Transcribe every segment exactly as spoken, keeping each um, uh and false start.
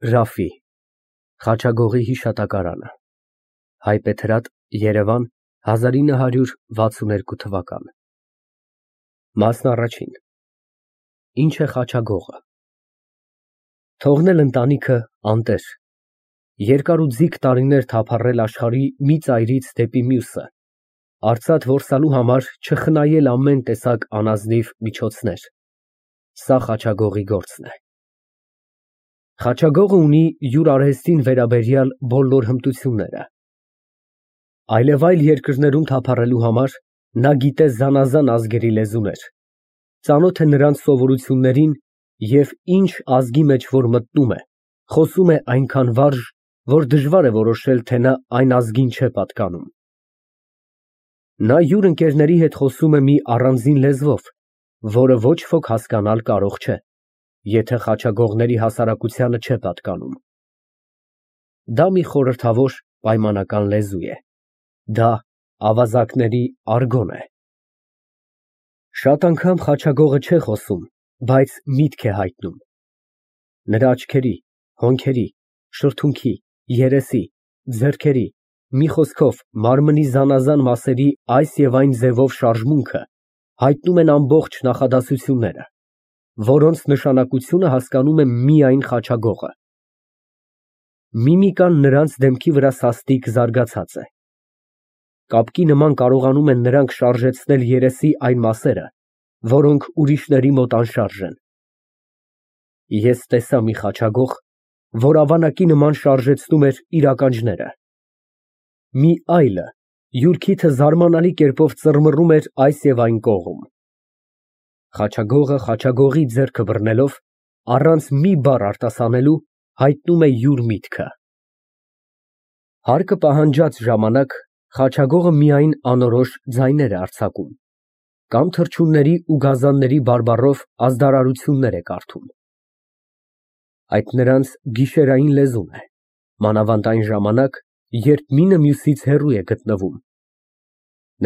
Րաֆֆի Խաչագողի հիշատակարանը Հայբեթրատ, Երևան, հազար ինը հարյուր վաթսուն երկու Մասն առաջին Ինչ է խաչագողը։ Թողնել ընտանիքը անտեր, երկար ու ձիգ տարիներ թափառել աշխարհի մի ծայրից դեպի մյուսը, արծաթ որսալու համար չխնայել ամեն տեսակ անազնիվ միջոցներ, սա խաչագողի գործն է։ Խաչագողը ունի յուր արհեստին վերաբերյալ բոլոր հմտությունները։ Այլևայլ երկրներում թափառելու համար նա գիտե զանազան ազգերի լեզուներ, ծանոթ է նրանց սովորություններին և ինչ ազգի մեջ որ մտնում է, խոսում է այնքան վարժ, որ դժվար է որոշել, թե նա այն ազգին չէ պատկանում։ Նա յուր ընկերների հետ խոսում է մի առանձին լեզվով, որը ոչ ոք հասկանալ կարող չէ, եթե խաչագողների հասարակությանը չէ պատկանում։ Դա մի խորհրդավոր, պայմանական լեզու է, դա ավազակների արգոն է։ Շատ անգամ խաչագողը չէ խոսում, բայց միտք է հայտնում։ Նրա աչքերի, հոնքերի, շրթունքի, երեսի, ձեռքերի, մի խոսքով մարմնի զանազան մասերի այս և այն ձևով շարժմունքը հայտնում են ամբողջ նախադասությունները, որոնց նշանակությունը հասկանում է միայն խաչագողը։ Միմիկան նրանց դեմքի վրա սաստիկ զարգացած է։ Կապկի նման կարողանում են նրանք շարժեցնել երեսի այն մասերը, որոնք ուրիշների մոտ անշարժ են։ Ես տեսա մի խաչագող, որ ավանակի նման շարժեցնում էր իր ականջները։ Մի այլը յուր քիթը զարմանալի կերպով ծռմռում էր այս և այն կողմ։ Խաչագողը խաչագողի ձեռքը բռնելով, առանց մի բառ արտասանելու, հայտնում է յուր միտքը։ Հարկը պահանջած ժամանակ խաչագողը միայն անորոշ ձայներ է արձակում, կամ թռչունների ու գազանների բարբառով ազդարարություններ է կարդում։ Այդ նրանց գիշերային լեզուն է, մանավանդ այն ժամանակ, երբ մինը մյուսից հեռու է գտնվում։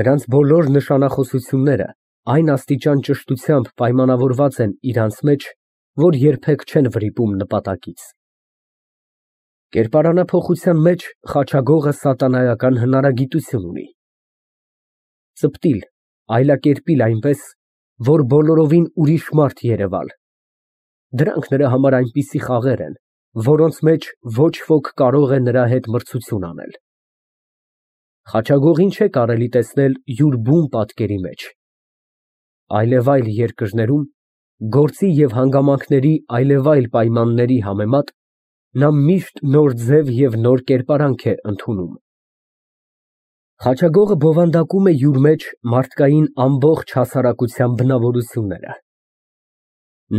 Նրանց բոլոր նշանախոսությունները այն աստիճան ճշտությամբ պայմանավորված են իրանց մեջ, որ երբեք չեն վրիպում նպատակից։ Կերպարանափոխության մեջ խաչագողը սատանայական հնարագիտություն ունի։ Ծպտիլ, այլակերպիլ այնպես, որ բոլորովին ուրիշ մարդ երևալ։ Դրանք նրա համար այնպիսի խաղեր են, որոնց մեջ ոչ ոք կարող է նրա հետ մրցություն անել։ Խաչագողին չէ կարելի տեսնել յուր բուն պատկերի մեջ։ Այլևայլ երկրներում, գործի և հանգամանքների այլևայլ պայմանների համեմատ, նա միշտ նոր ձև և նոր կերպարանք է ընդունում։ Խաչագողը բովանդակում է յուր մեջ մարդկային ամբողջ հասարակության բնավորությունները։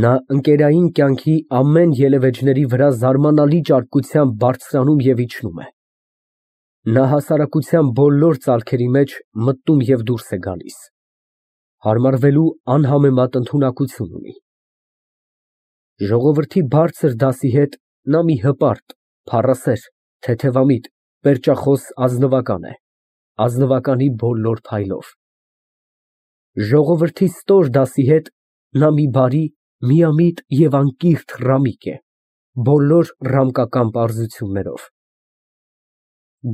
Նա ընկերային կյանքի ամեն ելևէջների վրա զարմանալի ճարպկությամբ բարձրանում և իջնում է։ Նա հասարակության բոլոր ծալքերի մեջ մտնում և դուրս է գալիս, հարմարվելու անհամեմատ ընդունակություն ունի։ Ժողովրդի բարձր դասի հետ նա մի հպարտ, փառասեր, թեթևամիտ, պերճախոս ազնվական է, ազնվականի բոլոր փայլով։ Ժողովրդի ստոր դասի հետ նա մի բարի, միամիտ և անկիրք ռամիկ է, բոլոր ռամկական պարզություններով։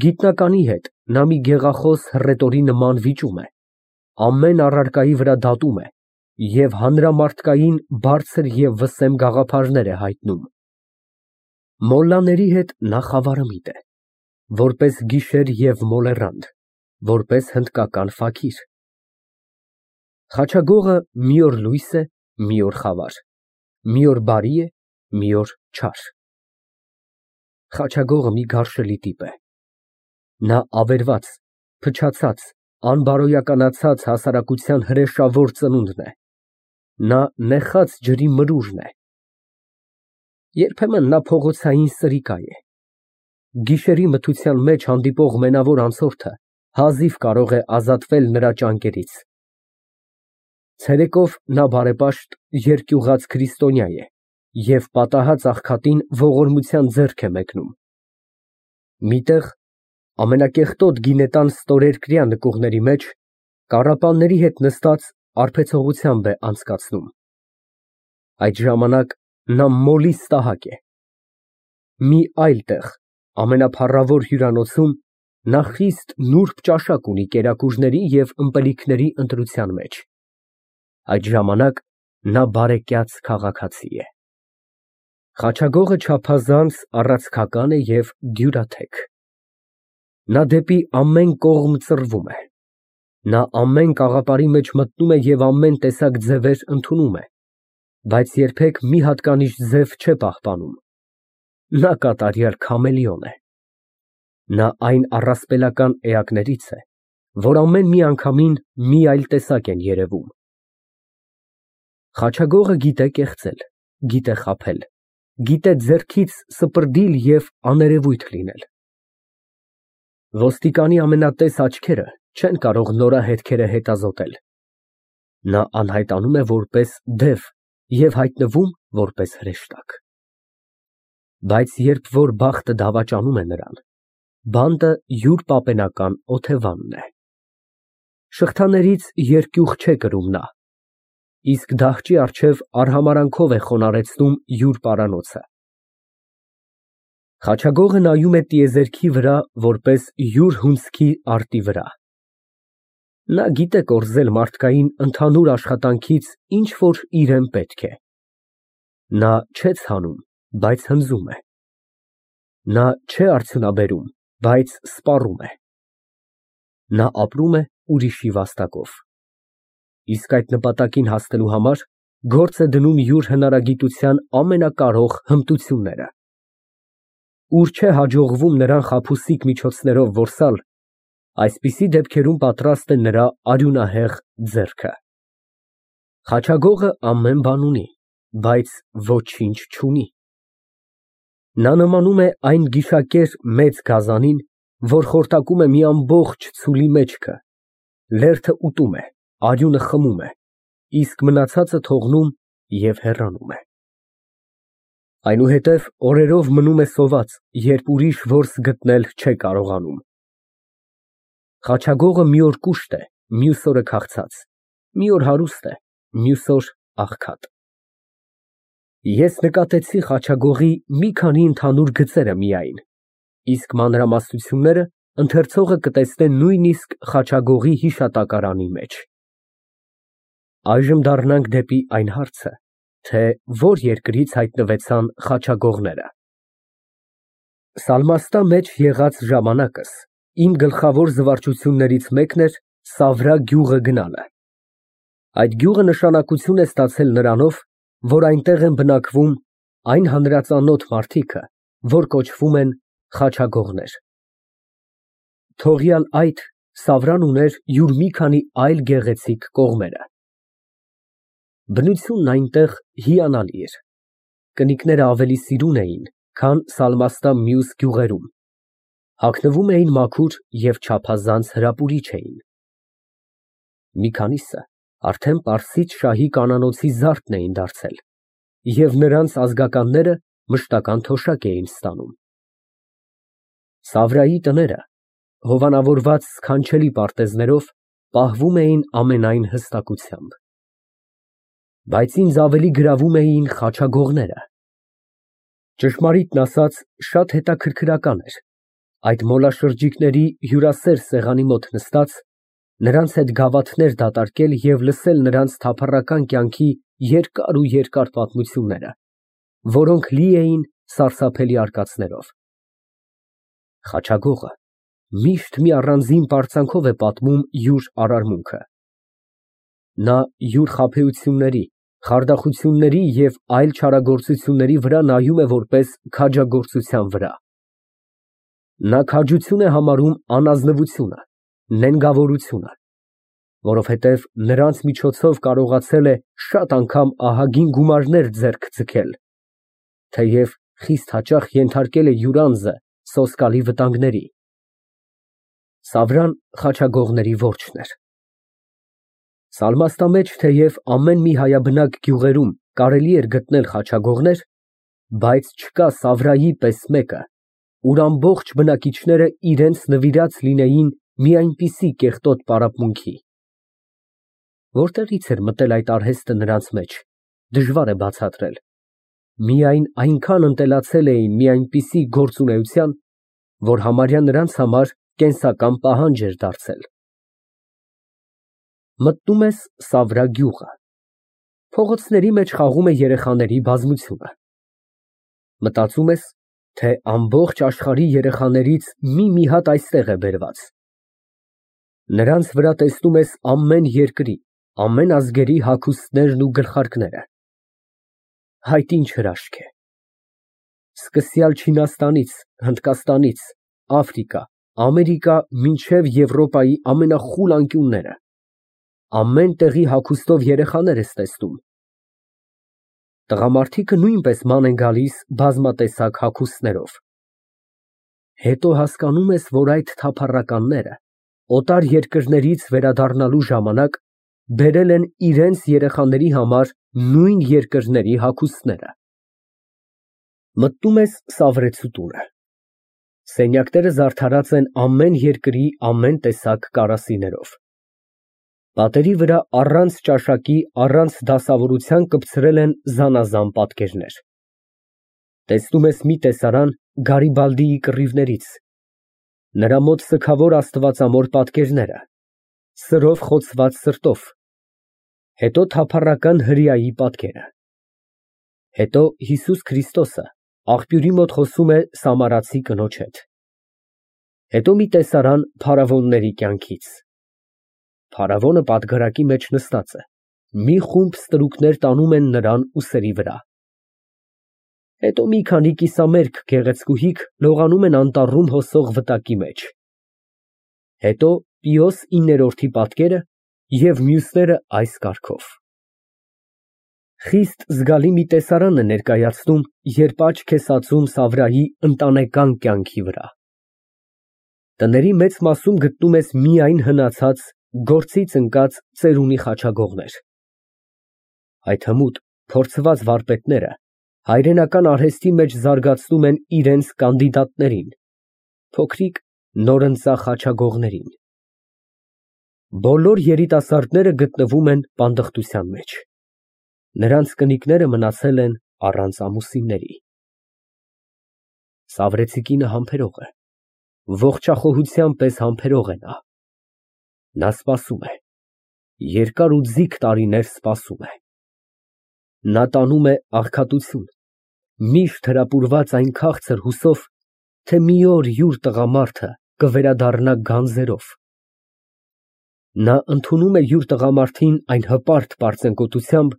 Գիտնականի հետ նա մի գեղախոս հռետորի նման վիճում է, ամեն առարկայի վրա դատում է և հանրամարդկային բարձր և վսեմ գաղափարներ է հայտնում։ Մոլլաների հետ նա խավարամիտ է, որպես գիշեր և մոլեռանդ, որպես հնդկական ֆաքիր։ Խաչագողը մի օր լույս է, մի օր խավար, մի օր բարի է, մի օր չար։ Խաչագողը մի գարշելի տիպ է։ Նա ավերված, փչացած, անբարոյականացած հասարակության հրեշավոր ծնունդն է։ Նա նեխած ջրի մրուրն է։ Երբեմն նա փողոցային սրիկա է։ Գիշերի մթության մեջ հանդիպող մենավոր անցորդը հազիվ կարող է ազատվել նրա ճանկերից։ Ցերեկով նա բարեպաշտ, երկյուղած քրիստոնյա է և պատահած աղքատին ողորմության ձեռք է մեկնում։ Մի տեղ, ամենակեղտոտ գինետան ստորերկրյա նկուղների մեջ, կառապանների հետ նստած արբեցողությամբ է անցկացնում։ Այդ ժամանակ նա մոլի ստահակ է։ մի այլ տեղ, ամենափառավոր հյուրանոցում, նա խիստ նուրբ ճաշակ ունի կերակուրների և ըմպելիքների ընտրության մեջ, այդ ժամանակ նա բարեկյաց քաղաքացի է։ Խաչագողը չափազանց առացքական է և դյուրաթեք։ Նա դեպի ամեն կողմ ծռվում է, նա ամեն կաղապարի մեջ մտնում է և ամեն տեսակ ձևեր ընդունում է, բայց երբեք մի հատկանիշ ձև չէ պահպանում։ Նա կատարյալ քամելիոն է։ Նա այն առասպելական էակներից է, որ ամեն մի անգամին մի այլ տեսակ են երևում։ Խաչագողը գիտե կեղծել, գիտե խաբել, գիտե ձեռքից սպրդիլ և աներևույթ լինել։ Ոստիկանի ամենատես աչքերը չեն կարող նորահետքերը հետազոտել։ Նա անհայտանում է որպես դև և հայտնվում որպես հրեշտակ։ Բայց երբ որ բախտը դավաճանում է նրան, բանտը յուր պապենական օթևանն է։ Շղթաներից երկյուղ չէ կրում նա, իսկ դահճի առջև արհամարհանքով է խոնարհեցնում յուր պարանոցը։ Խաչագողը նայում է տիեզերքի վրա որպես յուր հունձքի արտի վրա։ Նա գիտե կորզել մարդկային ընդհանուր աշխատանքից ինչ որ իրան պետք է։ Նա չէ ցանում, բայց հնձում է։ Նա չէ արդյունաբերում, բայց սպառում է։ Նա ապրում է ուրիշի վաստակով, իսկ այդ նպատակին հասնելու համար գործ է դնում յուր հնարագիտության ամենակարող հմտությունները։ Ուր չէ հաջողվում նրան խաբուսիկ միջոցներով որսալ, այսպիսի դեպքերում պատրաստ է նրա արյունահեղ ձեռքը։ Խաչագողը ամեն բան ունի, բայց ոչինչ չունի։ Նա նմանում է այն գիշակեր մեծ գազանին, որ խորտակում է մի ամբողջ ցուլի մեջքը, լերդը ուտում է, արյունը խմում է, իսկ մնացածը թողնում և հեռանում է։ Այնուհետև օրերով մնում է սոված, երբ ուրիշ որս գտնել չէ կարողանում։ Խաչագողը մի օր կուշտ է, մյուս օրը քաղցած, մի օր հարուստ է, մյուս օր աղքատ։ Ես նկատեցի Խաչագողի մի քանի ընդհանուր գծերը միայն, իսկ մանրամասնությունները ընթերցողը կտեսնե նույնիսկ Խաչագողի հիշատակարանի մեջ։ Այժմ դառնանք դեպի այն հարցը, թե որ երկրից հայտնվեցան խաչագողները։ Սալմաստա մեջ եղած ժամանակս իմ գլխավոր զվարճություններից մեկն էր Սավրա գյուղը գնալը։ Այդ գյուղը նշանակություն է ստացել նրանով, որ այնտեղ են բնակվում այն հանրածանոթ մարդիկը, որ կոչվում են խաչագողներ։ Թողյալ այդ, Սավրան ուներ յուր մի քանի այլ գեղեցիկ կողմերը։ Բնությունն այնտեղ հիանալի էր։ Կնիկները ավելի սիրուն էին, քան Սալմաստա մյուս գյուղերում, հագնվում էին մաքուր և չափազանց հրապուրիչ էին։ Մի քանիսը արդեն պարսից շահի կանանոցի զարդն էին դարձել, և նրանց ազգականները մշտական թոշակ էին ստանում։ Սավրայի տները, հովանավորված սքանչելի պարտեզներով, պահվում էին ամենայն հստակությամբ։ Բայց ինձ ավելի գրավում էին խաչագողները։ Ճշմարիտն ասած, շատ հետաքրքրական էր այդ մոլաշրջիկների հյուրասեր սեղանի մոտ նստած, նրանց հետ գավաթներ դատարկել և լսել նրանց թափառական կյանքի երկար ու երկար պատմությունները, որոնք լի էին սարսափելի արկածներով։ Խաչագողը միշտ մի առանձին պարծանքով է պատմում յուր արարմունքը։ Նա յուր խաբեությունների, խարդախությունների և այլ չարագործությունների վրա նայում է որպես քաջագործության վրա։ Նա քաջություն է համարում անազնվությունը, նենգավորությունը, որովհետև նրանց միջոցով կարողացել է շատ անգամ ահագին գումարներ ձեռք ձգել, թեև խիստ հաճախ ենթարկել է յուր անձը սոսկալի վտանգների։ Սավրան խաչագողների որջն էր։ Սալմաստա մեջ թեև ամեն մի հայաբնակ գյուղերում կարելի էր գտնել խաչագողներ, բայց չկա Սավրայի պես մեկը, ուր ամբողջ բնակիչները իրենց նվիրած լինեին մի այնպիսի կեղտոտ պարապմունքի։ Որտեղի՞ց էր մտել այդ արհեստը նրանց մեջ, դժվար է բացատրել։ միայն այնքան ընտելացել էին մի այնպիսի գործունեության, որ համարյա նրանց համար կենսական պահանջ էր դարձել։ Մտնում ես Սավրա գյուղը։ Փողոցների մեջ խաղում է երեխաների բազմությունը։ Մտածում ես, թե ամբողջ աշխարհի երեխաներից մի-մի հատ այստեղ է բերված։ Նրանց վրա տեսնում ես ամեն երկրի, ամեն ազգերի հագուստներն ու գլխարկները։ Հայտ ինչ հրաշք է։ Սկսյալ Չինաստանից, Հնդկաստանից, Աֆրիկա, Ամերիկա, մինչև Եվրոպայի ամենախուլ անկյունները, ամեն տեղի հագուստով երեխաներ ես տեսնում։ Տղամարդիկը նույնպես ման են գալիս բազմատեսակ հագուստներով։ Հետո հասկանում ես, որ այդ թափառականները օտար երկրներից վերադառնալու ժամանակ բերել են իրենց երեխաների համար նույն երկրների հագուստները։ Մտնում ես Սավրեցու տունը։ Սենյակները զարդարած են ամեն երկրի ամեն տեսակ կարասիներով։ Պատերի վրա առանց ճաշակի, առանց դասավորության կպցրել են զանազան պատկերներ։ Տեսնում ես մի տեսարան Գարիբալդիի կռիվներից, նրա մոտ սգավոր աստվածամոր պատկերները, սրով խոցված սրտով, հետո թափառական հրեայի պատկերը, հետո Հիսուս Քրիստոսը աղբյուրի մոտ խոսում է սամարացի կնոջ հետ, հետո մի տեսարան փարավոնների կյանքից։ Փարավոնը պատգարակի մեջ նստած է, մի խումբ ստրուկներ տանում են նրան ուսերի վրա։ Հետո մի քանի կիսամերկ գեղեցկուհիք լողանում են անտառում հոսող վտակի մեջ։ Հետո Պիոս իններորդի պատկերը և մյուսները այս կարգով։ Խիստ զգալի մի տեսարան է ներկայացնում, երբ աչք ես ածում Սավրայի ընտանեկան կյանքի վրա։ Տների մեծ մասում գտնում ես միայն հնացած, գործից ընկած ծերունի խաչագողներ։ Այդ հմուտ, փորձված վարպետները հայրենական արհեստի մեջ զարգացնում են իրենց կանդիդատներին, փոքրիկ նորընծա խաչագողներին։ Բոլոր երիտասարդները գտնվում են պանդխտության մեջ։ Նրանց կնիկները մնացել են առանց ամուսինների։ Սավրեցի կինը համբերող է, ողջախոհության պես համբերող է նա։ Նա սպասում է, երկար ու ձիգ տարիներ սպասում է։ Նա տանում է աղքատություն, միշտ հրապուրված այն քաղցր հուսով, թե մի օր յուր տղամարդը կվերադառնա գանձերով։ Նա ընդունում է յուր տղամարդին այն հպարտ պարծենկոտությամբ,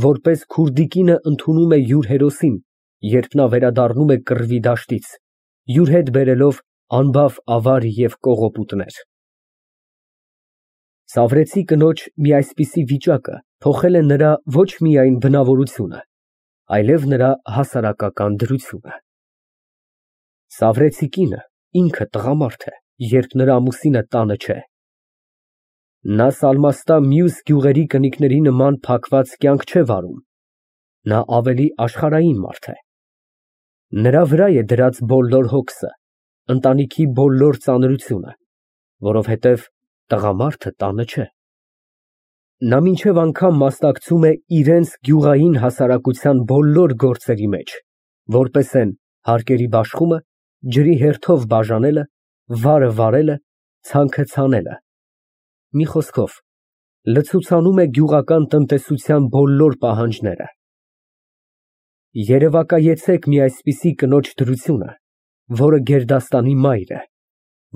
որպես քուրդի կինը ընդունում է յուր հերոսին, երբ նա վերադառնում է կռվի դաշտից, յուր հետ բերելով անբավ ավար և կողոպուտներ։ Սավրեցի կնոջ մի այսպիսի վիճակը փոխել է նրա ոչ միայն բնավորությունը, այլև նրա հասարակական դրությունը։ Սավրեցի կինը ինքը տղամարդ է, երբ նրա ամուսինը տանը չէ։ Նա սալմաստա մյուս գյուղերի կնիկների նման փակված կյանք չէ վարում, նա ավելի աշխարհային մարդ է։ Նրա վրա է դրած բոլոր հոգսը, ընտանիքի բոլոր ծանրությունը, որովհետև տղամարդը տանը չէ։ Նա մինչև անգամ մասնակցում է իրենց գյուղային հասարակության բոլոր գործերի մեջ, որպես են հարկերի բաշխումը, ջրի հերթով բաժանելը, վարը վարելը, ցանքը ցանելը։ Մի խոսքով, լցուցանում է գյուղական տնտեսության բոլոր պահանջները։ Երևակայեցեք մի այսպիսի կնոջ դրությունը, որը գերդաստանի մայր է,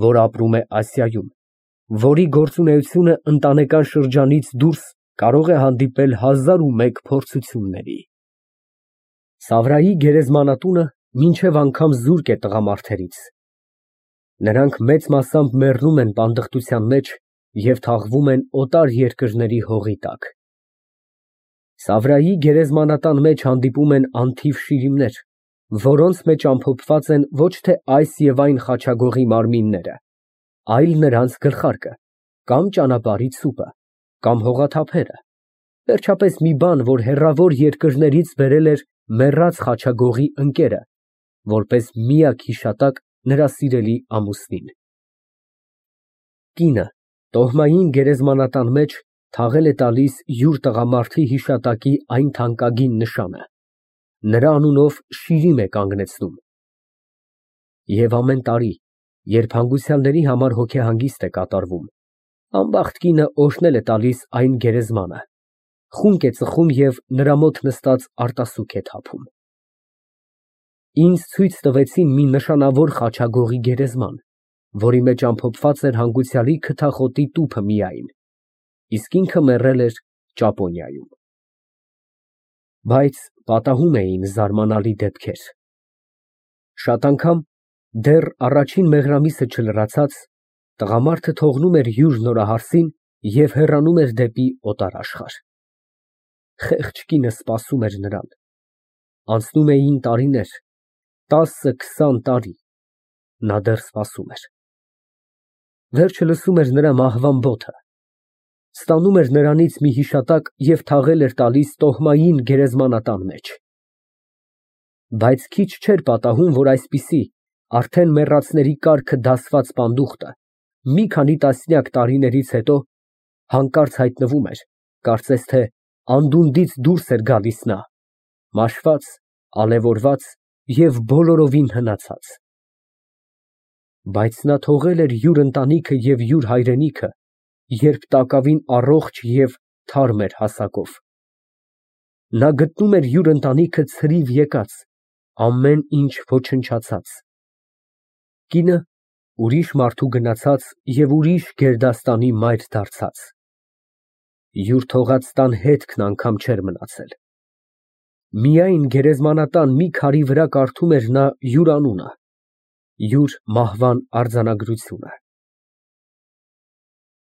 որ ապրում է Ասիայում, որի գործունեությունը ընտանեկան շրջանից դուրս կարող է հանդիպել հազար ու մեկ փորձությունների։ Սավրայի գերեզմանատունը մինչև անգամ զուրկ է տղամարդերից։ Նրանք մեծ մասամբ մեռնում են պանդխտության մեջ և թաղվում են օտար երկրների հողի տակ։ Սավրայի գերեզմանատան մեջ հանդիպում են անթիվ շիրիմներ, որոնց մեջ ամփոփված են ոչ թե այս և այն խաչագողի մարմինները, այլ նրանց գլխարկը, կամ ճանապարհի ցուպը, կամ հողաթափերը, վերջապես մի բան, որ հեռավոր երկրներից բերել էր մեռած խաչագողի ընկերը, որպես միակ հիշատակ նրա սիրելի ամուսնին։ Կինը տոհմային գերեզմանատան մեջ թաղել է տալիս յուր տղամարդի հիշատակի այն թանկագին նշանը, նրա անունով շիրիմ է կանգնեցնում։ Եվ ամեն տարի, երբ հանգուցյալների համար հոգեհանգիստ է կատարվում, անբախտ կինը օրհնել է տալիս այն գերեզմանը, խունկ է ծխում և նրա մոտ նստած արտասուք է թափում։ Ինձ ցույց տվեցին մի նշանավոր խաչագողի գերեզման, որի մեջ ամփոփված էր հանգուցյալի քթախոտի տուփը միայն, իսկ ինքը մեռել էր Ճապոնիայում։ Բայց պատահում էին զարմանալի դեպքեր։ Շատ անգամ, դեռ առաջին մեղրամիսը չլրացած, տղամարդը թողնում էր յուր նորահարսին և հեռանում էր դեպի օտարաշխարհ։ Խեղճ կինը սպասում էր նրան։ Անցնում էին տարիներ, տասը֊քսան տարի, նա դեռ սպասում էր։ Վերջը լսում էր նրա մահվան բոթը, ստանում էր նրանից մի հիշատակ և թաղել էր տալիս տոհմային գերեզմանատան մեջ։ Բայց քիչ չէր պատահում, որ այսպիսի, արդեն մեռածների կառքը դասված պանդուխտը մի քանի տասնյակ տարիներից հետո հանկարծ հայտնվում էր, կարծես թե անդունդից դուրս էր գալիս նա, մաշված, ալևորված և բոլորովին հնացած։ Բայց նա թողել էր յուր ընտանիքը և յուր հայրենիքը, երբ տակավին առողջ և թարմ էր հասակով։ Նա գտնում էր յուր ընտանիքը ցրիվ եկած, ամեն ինչ ոչնչացած։ Կինը ուրիշ մարդու գնացած և ուրիշ գերդաստանի մայր դարձած։ Յուր թողած տան հետքն անգամ չէր մնացել։ Միայն գերեզմանատան մի քարի վրա կարդում էր նա յուր անունը, յուր մահվան արձանագրությունը։